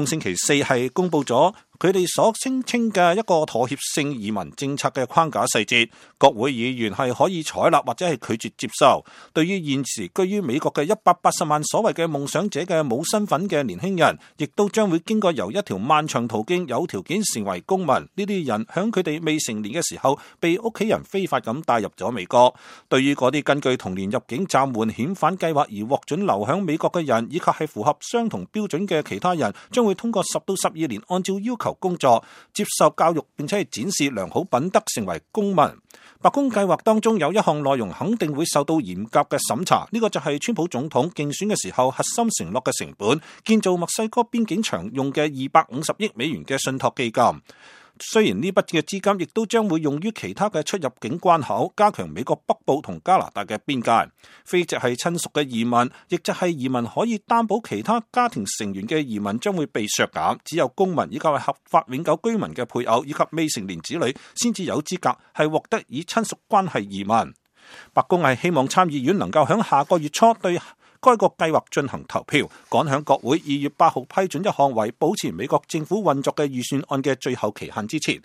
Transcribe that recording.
宮星期四係公布咗佢哋所聲稱嘅一個妥協性移民政策嘅框架細節，國會議員係可以採納或者係拒絕接受。對於現時居於美國嘅180萬所謂嘅夢想者嘅冇身份嘅年輕人，亦都將會經過由一條漫長途徑有條件成為公民。呢啲人響佢哋未成年嘅時候，被屋企人非法咁帶入咗美國。對於嗰啲根據同年入境暫緩遣返計劃而獲准留響美國嘅人，以及係符合相同標準嘅其他人，將會通過10到12年按照要求工作、接受教育，並且係展示良好品德，成為公民。白宮計劃當中有一項內容肯定會受到嚴格嘅審查，呢個就係川普總統競選嘅時候核心承諾嘅成本，建造墨西哥邊境牆用嘅250億美元嘅信託基金。雖然呢筆嘅資金亦都將會用於其他嘅出入境關口，加強美國北部同加拿大嘅邊界。非直係親屬嘅移民，亦就係移民可以擔保其他家庭成員嘅移民將會被削減，只有公民以及係合法永久居民嘅配偶以及未成年子女先至有資格係獲得以親屬關係移民。白宮係希望參議院能夠喺下個月初對該個計劃進行投票，趕響國會2月8號批准一項為保持美國政府運作嘅預算案嘅最後期限之前，